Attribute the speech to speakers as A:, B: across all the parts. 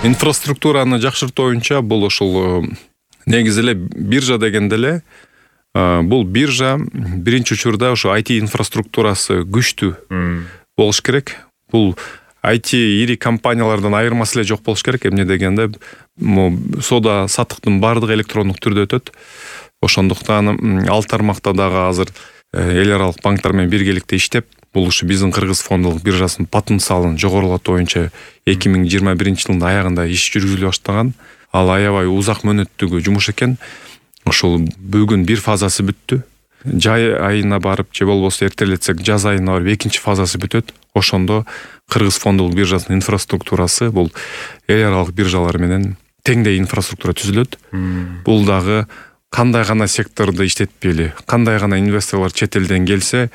A: Инфраструктураны жакшыртуу боюнча бул ошол негизи эле биржа дегенде эле бул биржа биринчи учурда ошо IT инфраструктурасы күчтүү болуш керек. Бул IT ири компаниялардан айырмасы эле жок болуш керек. Эмне дегенде соода саттыктын баардыгы электрондук түрдө өтөт. Ошондуктан ал тармакта дагы азыр эл аралык банктар менен биргеликте иштеп, бул ушу биздин Кыргыз фондулук биржасынын потенциалын жогорулатуу боюнча 2021-жылдын аягында иш жүргүзүлө баштаган. Ал аябай узак мөөнөттөгү жумуш экен. Ошол бүгүн бир фазасы бүттү. Жай айына барып, же болбосо эртелетсек жаз айына барып экинчи фазасы бүтөт. Ошондо Кыргыз фондулук биржасынын инфраструктурасы бул эл аралык биржалар менен теңдей инфраструктура түзүлөт. Бул дагы кандай гана секторду иштетпейли, кандай гана инвесторлор чет элден келсе,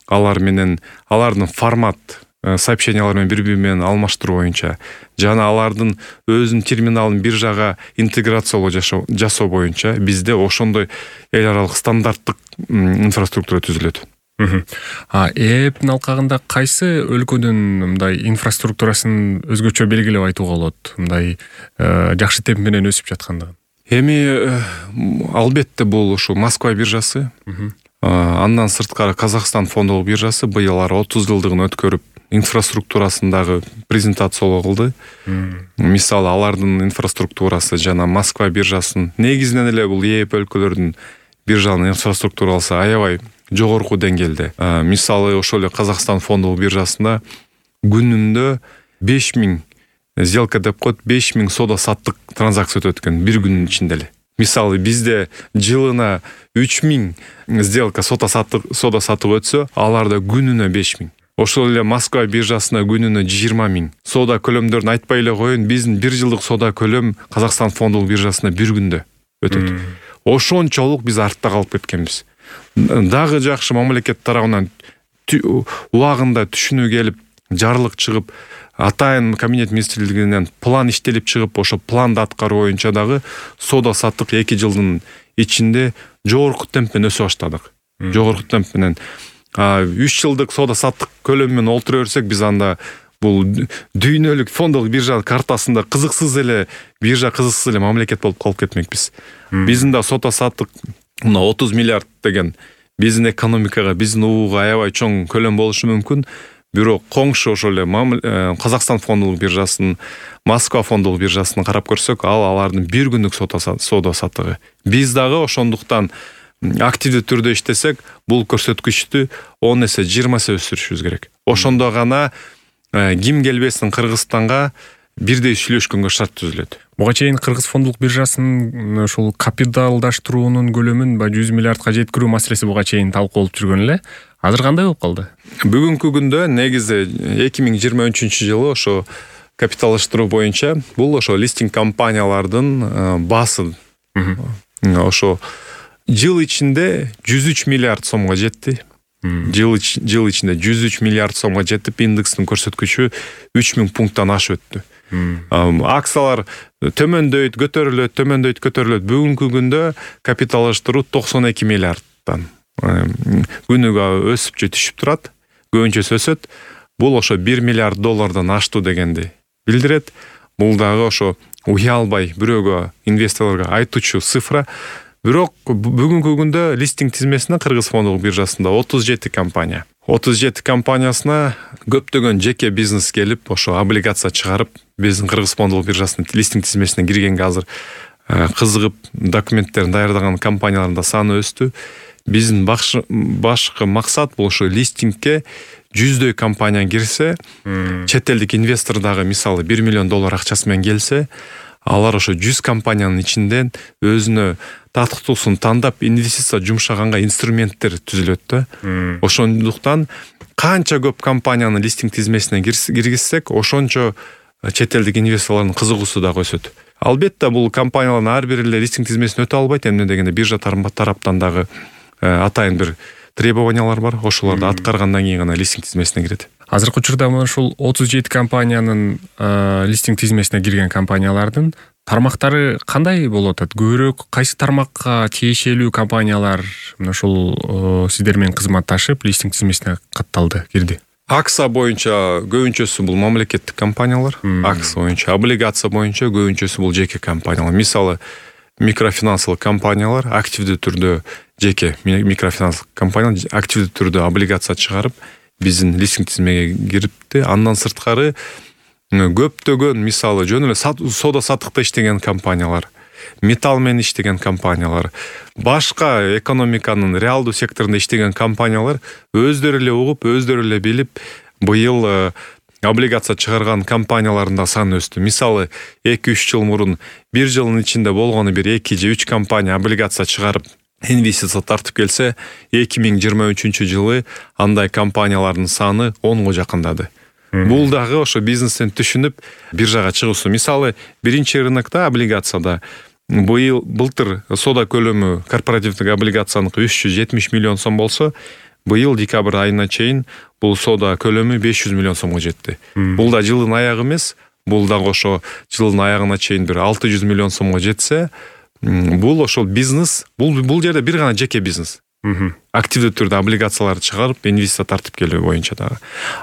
A: алар менен алардын формат сообщениялар менен бири-бири менен алмаштыруу боюнча жана алардын өзүнүн терминалын биржага интеграциялоо жасоо боюнча бизде ошондой эл аралык стандарттык инфраструктура түзүлөт.
B: ЭЭПтин алкагында кайсы өлкөнүн мындай инфраструктурасын өзгөчө белгилеп айтууга болот, мындай жакшы темп менен өсүп жаткандыгын?
A: Эми албетте бул ушу Москва биржасы. Андан сырткары Казакстан фондулук биржасы быйыл 30 жылдыгын өткөрүп инфраструктурасындагы презентациялоо кылды. Мисалы алардын инфраструктурасы жана Москва биржасынын негизинен эле бул ЭЭП өлкөлөрдүн биржанын инфраструктурасы аябай жогорку деңгээлде. Мисалы ошол эле Казакстан фондулук биржасында күнүндө 5000 сделка деп коет, 5000 соода саттык транзакция өтөт экен бир күнүн ичинде эле. Мисалы бизде жылына 3000 сделка соода саттык өтсө, аларда күнүнө 5000. Ошол эле Москва биржасына күнүнө 20 000. Соода көлөмдөрүн айтпай эле коеюн, биздин бир жылдык соода көлөм Казакстан фондулук биржасына бир күндө өтөт. Ошончолук биз артта калып кеткенбиз. Дагы жакшы мамлекет тарабынан убагында түшүнүү келип, жарлык чыгып, атайын кабинет министрлигинен план иштелип чыгып, ошо планды аткаруу боюнча дагы соода саттык 2 жылдын ичинде жогорку темп менен өсө баштадык. Жогорку темп менен 3 жылдык соода саттык көлөмүн олтура берсек, биз анда бул дүйнөлүк фондулук биржа картасында кызыксыз эле мамлекет болуп калып кетмекпиз. Биздин да соода саттык 30 миллиард деген биздин экономикага, биздин ууга аябай чоң көлөм болушу мүмкүн. Бирок коңшу ошол эле Казакстан фондулук биржасынын, Москва фондулук биржасын карап көрсөк, алардын бир күндүк соода саттыгы. Биз дагы ошондуктан активдүү түрдө иштесек, бул көрсөткүчтү 10 эсе 20 эсе өсүрүшүбүз керек. Ошондо гана ким келбесин Кыргызстанга бирдей сүйлөшкөнгө шарт түзүлөт.
B: Буга чейин Кыргыз фондулук биржасынын ошол капиталдаштыруунун көлөмүн 100 миллиардка жеткирүү маселеси буга чейин талкуулуп жүргөн эле. Азыр кандай болуп калды?
A: Бүгүнкү күндө негизи 2023-жылы ошо капиталдаштыруу боюнча бул ошо листинг компаниялардын баасы ошо жыл ичинде 103 миллиард сомго жетти. Жыл ичинде 103 миллиард сомго жетип, индекстин көрсөткүчү 3000 пункттан ашып өттү. Акциялар төмөндөйт, көтөрүлөт. Бүгүнкү күндө капиталдаштыруу 92 миллиардтан күнүгө өсүп же түшүп турат. Көбүнчөсү өсөт. Бул ошо 1 миллиард доллардан аштуу дегенди билдирет. Бул дагы ошо уялбай бирөөгө, инвесторлорго айтуучу цифра. Бирок бүгүнкү күндө листинг тизмесине Кыргыз фондулук биржасында 37 компания. 37 компаниясына көптөгөн жеке бизнес келип, ошо облигация чыгарып, биздин Кыргыз фондулук биржасынын листинг тизмесине киргенге азыр кызыгып документтерин даярдаган компаниялардын да саны өстү. Биздин башкы максат бул ошо листингке 100дөй компания кирсе, чет элдик инвестор дагы мисалы 1 миллион доллар акчасы менен келсе, алар ошо 100 компаниянын ичинен өзүнө татыктуусун тандап инвестиция жумшаганга инструменттер түзүлөт да. Ошондуктан канча көп компаниянын листинг тизмесине киргизсек, ошончо чет элдик инвесторлордун кызыгуусу дагы өсөт. Албетте бул компаниялардын ар бири эле листинг тизмесине өтө албайт. Эмне дегенде биржа тараптан дагы атайын бир требованиялар бар. Ошолорду аткаргандан кийин гана листинг тизмесине кирет.
B: Азыркы учурда ушул 37 компаниянын листинг тизмесине кирген компаниялардын тармактары кандай болуп атат? Көбүрөөк кайсы тармакка тиешелүү компаниялар ушул сиздер менен кызматташып листинг тизмесине катталды, кирди?
A: Акция боюнча көбүнчөсү бул мамлекеттик компаниялар, акция боюнча, облигация боюнча көбүнчөсү бул жеке компаниялар. Мисалы, микрофинансылык компаниялар активдүү түрдө жеке микрофинансылык компаниялар активдүү түрдө облигация чыгарып, биздин листинг тизмеге кирипти. Андан сырткары көптөгөн, мисалы, жөн эле соода саттыкта иштеген компаниялар, металл менен иштеген компаниялар, башка экономиканын реалдуу секторунда иштеген компаниялар өздөрү эле угуп, өздөрү эле билип, быйыл облигация чыгарган компаниялардын саны өстү. Мисалы, 2-3 жыл мурун, бир жылдын ичинде болгону бир 2 же 3 компания облигация чыгарып, инвестиция тартып келсе, 2023 жылы андай компаниялардын саны 10го жакындады. Бул дагы ошо бизнестен түшүнүп, биржага чыгуусу. Мисалы, биринчи рынокто облигацияда былтыр соода көлөмү корпоративдик облигацияныкы 370 миллион сом болсо, быйыл декабрь айына чейин бул соода көлөмү 500 миллион сомго жетти. Бул да жылдын аягы эмес, бул дагы ошо жылдын аягына чейин бир 600 миллион сомго жетсе, бул ошол бизнес, бул жерде бир гана жеке бизнес. Активдүү түрдө облигацияларды чыгарып, инвестиция тартып келүү боюнча дагы.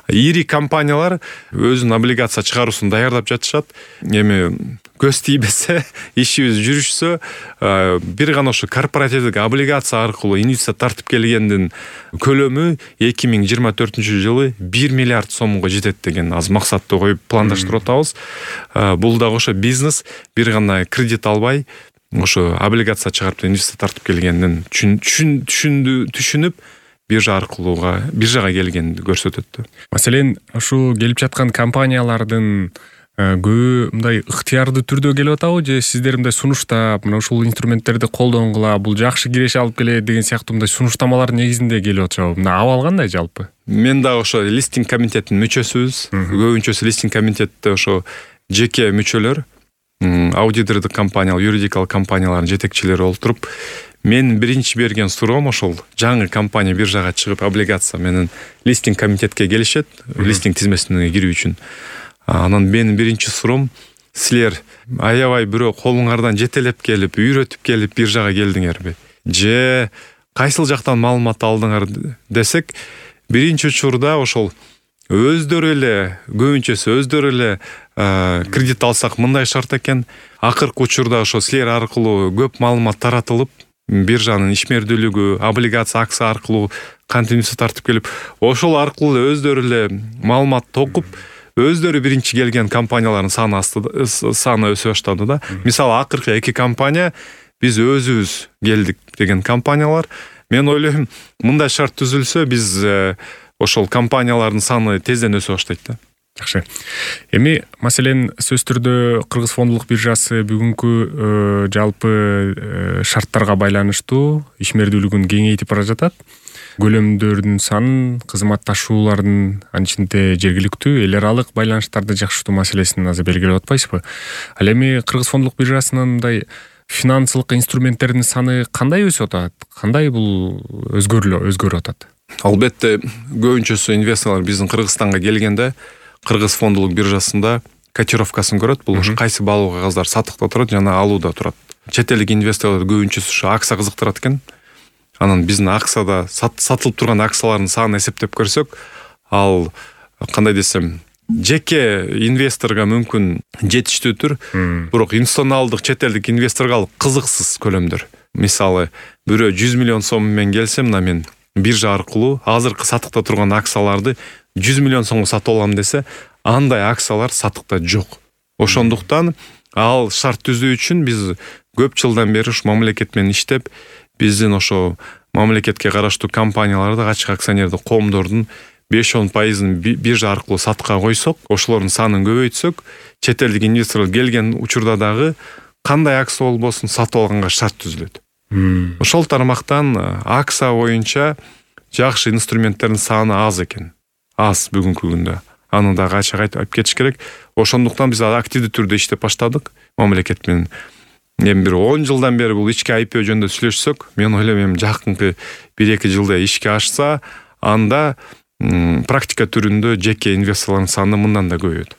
A: Ири компаниялар өзүнүн облигация чыгаруусун даярдап жатышат. Эми көз тийбесе, ишибиз жүрүшсө, бир гана ошо корпоративдик облигация аркылуу инвестиция тартып келгендин көлөмү 2024 жылы 1 миллиард сомго жетет деген аз максатты коюп пландаштырып атабыз. Бул дагы ошо бизнес бир гана кредит албай, ошо облигация чыгарып инвестиция тартып келгендин түшүнүп, биржага келгенди көрсөтөт.
B: Маселен, ушу келип жаткан компаниялардын көбү мындай ыктыярдуу түрдө келип атабы, же сиздер мындай сунуштап, мына ушул инструменттерди колдонгула, бул жакшы киреше алып келет деген сыяктуу мындай сунуштамалар негизинде келип атышабы? Мына абал кандай жалпы?
A: Мен дагы ошо листинг комитетинин мүчөсүбүз. Көбүнчөсү листинг комитетте ошо жеке мүчөлөр, аудитордук компаниялар, юридикалык компаниялардын жетекчилери олтуруп, мен биринчи берген суроом ошол жаңы компания биржага чыгып облигация менен листинг комитетке келишет, листинг тизмесине кирүү үчүн. Анан менин биринчи суроом, силер аябай бирөө колуңардан жетелеп келип, үйрөтүп келип биржага келдиңерби? Же кайсыл жактан маалымат алдыңар десек, биринчи учурда ошол өздөрү эле, көбүнчөсү өздөрү эле кредит алсак мындай шарт экен. Акыркы учурда ошо силер аркылуу көп маалымат таратылып, биржанын ишмердүүлүгү, облигация, акция аркылуу кантип инвестиция тартып келип, ошол аркылуу өздөрү эле маалымат токуп, өздөрү биринчи келген компаниялардын саны өсө баштады да. Мисалы, акыркы 2 компания биз өзүбүз келдик деген компаниялар. Мен ойлойм, мындай шарт түзүлсө, биз ошол компаниялардын саны тезден өсө баштайт да.
B: Жакшы. Эми маселен сөз түрдө Кыргыз фондулук биржасы бүгүнкү жалпы шарттарга байланыштуу ишмердүүлүгүн кеңейтип бара жатат. Көлөмдөрдүн санын, кызматташуулардын анын ичинде жергиликтүү эл аралык байланыштарды жакшыртуу маселесин азыр белгилеп атпайсызбы? Ал эми Кыргыз фондулук биржасынын мындай финансылык инструменттердин саны кандай өсүп атат? Кандай бул өзгөрүп атат?
A: Албетте, көбүнчөсү инвесторлор биздин Кыргызстанга келгенде Кыргыз фондулук биржасында котировкасын көрөт. Бул кайсы баалуу кагаздар сатыкта турат жана алууда турат. Чет элдик инвесторлор көбүнчөсү ушу акция кызыктырат экен. Анан биздин акцияда сатылып турган акциялардын санын эсептеп көрсөк, ал кандай десем, жеке инвесторго мүмкүн жетиштүүдүр, бирок институционалдык чет элдик инвесторго ал кызыксыз көлөмдөр. Мисалы, бирөө 100 миллион сом менен келсе, мына мен биржа аркылуу азыркы сатыкта турган акцияларды 100 миллион сомго сатып алам десе, андай акциялар сатыкта жок. Ошондуктан ал шарт түзүү үчүн биз көп жылдан бери ушу мамлекет менен иштеп, биздин ошо мамлекетке караштуу компанияларды, ачык акционердик коомдордун 5-10% биржа аркылуу сатыкка койсок, ошолордун санын көбөйтсөк, чет элдик инвесторлор келген учурда дагы кандай акция болбосун сатып алганга шарт түзүлөт. Ошол тармактан акция боюнча жакшы инструменттердин саны аз экен. Аз бүгүнкү күндө. Аны дагы ачык айтып кетиш керек. Ошондуктан биз активдүү түрдө иштеп баштадык мамлекет менен. Эми бир 10 жылдан бери бул ички IPO жөнүндө сүйлөшсөк, мен ойлойм, жакынкы 1-2 жылда ишке ашса, анда практика түрүндө жеке инвесторлордун саны мындан да көбөйөт.